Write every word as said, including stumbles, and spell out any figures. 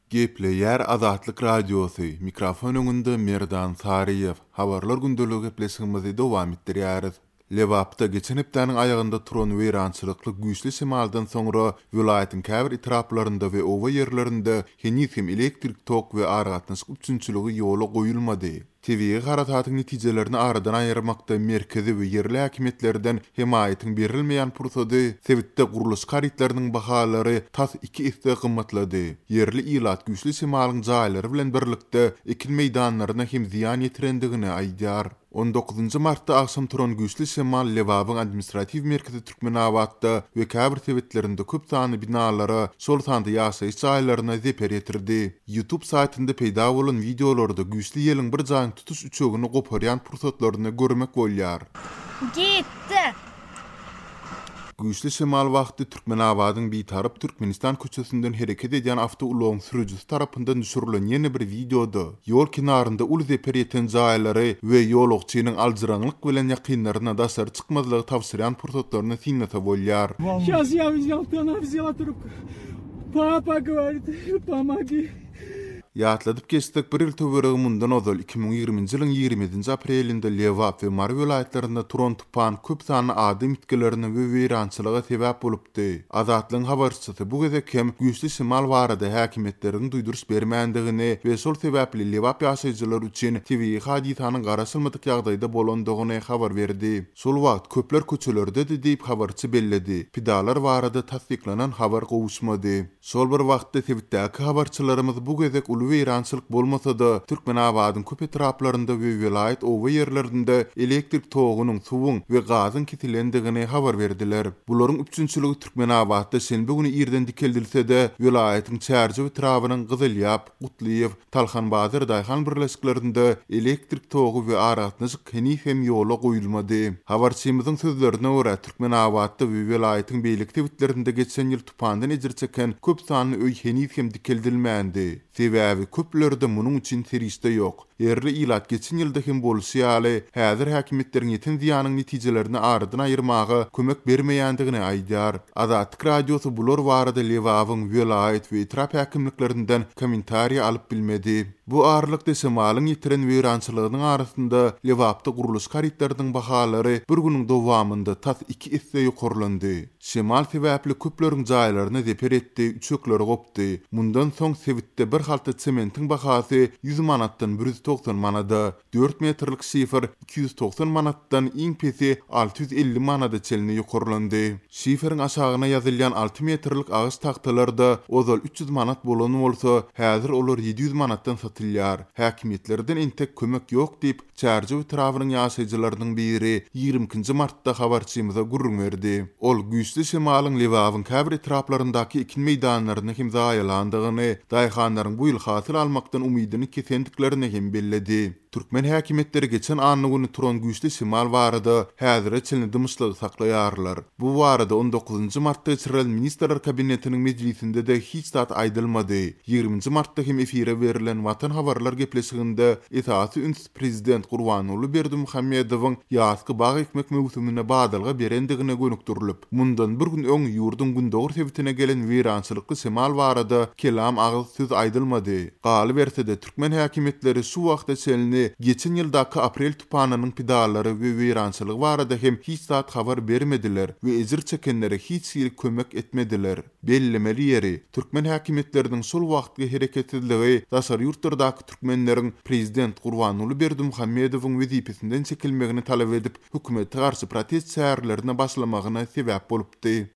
Gepleýär Azatlyk Radiosy, mikrofon öňünde Merdan Saryýew. Habarlar gündeligi gepleşigimizi dowam etdirýäris. Lebapda geçen hepdäniň aýagynda turan weýrançylykly güýçli şemaldan soňra welaýatyň käbir etraplarynda we oba ýerlerinde heniz hem elektrik tok we aragatnaşyk üpjünçiligi ýola goýulmady. Tebigy harasatyň netijelerini aradan aýyrmakda merkezi we ýerli häkimiýetlerden hemaýatyň berilmeýän pursady sebitde gurluşyk harytlarynyň bahalary tas iki esse gymmatlady. Ýerli ilat güýçli şemalyň jaýlary bilen birlikde ekin meýdanlaryna hem zyýan ýetirendigini aýdýar. On dokuzynjy martda agşam turan güýçli şemal Lebabyň administratiw merkezi Türkmenabatda we käbir sebitlerinde köp sanly binalara, şol sanda ýaşaýyş jaýlaryna zeper ýetirdi. YouTube saýtynda peýda bolan wideolarda güýçli ýeliň bir jaýyň tutuş üçegini goparýan pursatlaryny görmek bolýar. Gitdi. Güýçli şemal wagty Türkmenabadyň Bitarap Türkmenistan köçesinden hereket edýän awtoulagyň sürüjisi tarapyndan düşürilen ýene bir wideoda ýol kenarynda uly zeper ýeten jaýlary we ýolagçynyň aljyraňlyk bilen ýakynlaryna daşary çykmazlygy tabşyrýan pursatlaryny synlasa bolýar. Сейчас я взял, она взяла трубку. Папа говорит, помоги. Ýatladyp geçsek, bir ýyl töweregi mundan ozal iki müň ýigriminji ýylyň ýigrimi ýedinji aprelinde Lebap we Mary welaýatlarynda turan tupan köp sanly adam ýitgilerine we weýrançylyga sebäp bolupdy. Azatlygyň habarçysy bu gezek hem güýçli şemal barada häkimiýetleriň duýduryş bermändigini we şol sebäpli Lebap ýaşaýjylary üçin tebigy hadysanyň garaşylmadyk ýagdaýda bolandygyny habar berdi. Şol wagt köpler köçelerdedi diýip habarçy belledi. Pidalar barada tassyklanan habar gowuşmady. Şol bir wagtda sebitdäki habarçylarymyz bu gezek uly weýrançylyk bolmasa-da, Türkmenabadyň köp etraplarynda we welaýat oba ýerlerinde elektrik togunyň, suwuň we gazyň kesilendigini habar berdiler. Bularyň üpjünçiligi Türkmenabatda şenbe güni irden dikeldilse-de, welaýatyň Çärjew etrabynyň Gyzylýap, Gutlyýew, Talhanbazar daýhan birleşiklerinde elektrik togy we aragatnaşyk heniz hem ýola goýulmady. Habarçymyzyň sözlerine görä, Türkmenabatda we welaýatyň beýleki sebitlerinde geçen ýyl tupandan ejir çeken köp sanly öý heniz hem dikeldilmändi. Sebäbi köplerde munuň üçin serişde ýok. Ýerli ilat geçen ýylda hem bolşy ýaly, häzir häkimiýetleriň ýeten zyýanyň netijelerini aradan aýyrmaga kömek bermeýändigini aýdýar. Azatlyk Radiosy bular barada Lebabyň welaýat we etrap häkimliklerinden kommentariýa alyp bilmedi. Bu aralykda şemalyň ýetiren weýrançylygynyň arasynda Lebapda gurluşyk harytlarynyň bahalary bir günüň dowamynda tas iki esse ýokarlandy. Şemal sebäpli köpleriň jaýlaryna zeper etdi, üçekleri gopdy. Mundan soň sebitde bir halta sementiň bahasy ýüz manatdan bir ýüz togsan manada, dört metrlik şifer iki ýüz togsan manatdan iň pesi alty ýüz elli manada çenli ýokarlandy. Şiferiň aşagyna ýazylýan alty metrlik agaç tagtalarda ozal üç ýüz manat bolan bolsa, häzir olar ýedi ýüz manatdan satylýar. Häkimiýetlerden entek kömek ýok diýip, Çärjew etrabynyň ýaşaýjylarynyň biri ýigrimi ikinji martda habarçymyza gürrüň berdi. Ol güýçli şemalyň Lebabyň käbir etraplaryndaky ekin meýdanlaryny hem zaýalandygyny, daýhanlaryň bu ýyl hasyl almakdan umydyny kesendiklerini hem belledi. Türkmen häkimiýetleri geçen anna güni turan güýçli şemal barada häzire çenli dymyşlygy saklaýarlar. Bu barada on dokuzynjy martda geçirilen Ministrler Kabinetiniň mejlisinde-de hiç zat aýdylmady. Ýigriminji martda hem efire berlen Watan habarlar gepleşiginde esasy üns Prezident Gurbanguly Berdimuhamedowyň ýazky bag ekmek möwsümine badalga berendigine gönükdirilip, mundan bir gün öň ýurduň gündogar sebitine gelen weýrançylykly şemal barada kelam agyz söz aýdylmady. Galyberse-de türkmen häkimiýetleri şu wagta çenli geçen ýyldaky aprel tupanynyň pidalary we weýrançylygy barada hem hiç zat habar bermediler we ejir çekenlere hiç hili kömek etmediler. Bellemeli ýeri, türkmen häkimiýetleriniň şol wagtky hereketsizligi daşary ýurtlardaky türkmenleriň Prezident Gurbanguly Berdimuhamedowyň wezipesinden çekilmegini talap edip, hökümete garşy protest çärelerine başlamagyna sebäp bolupdy.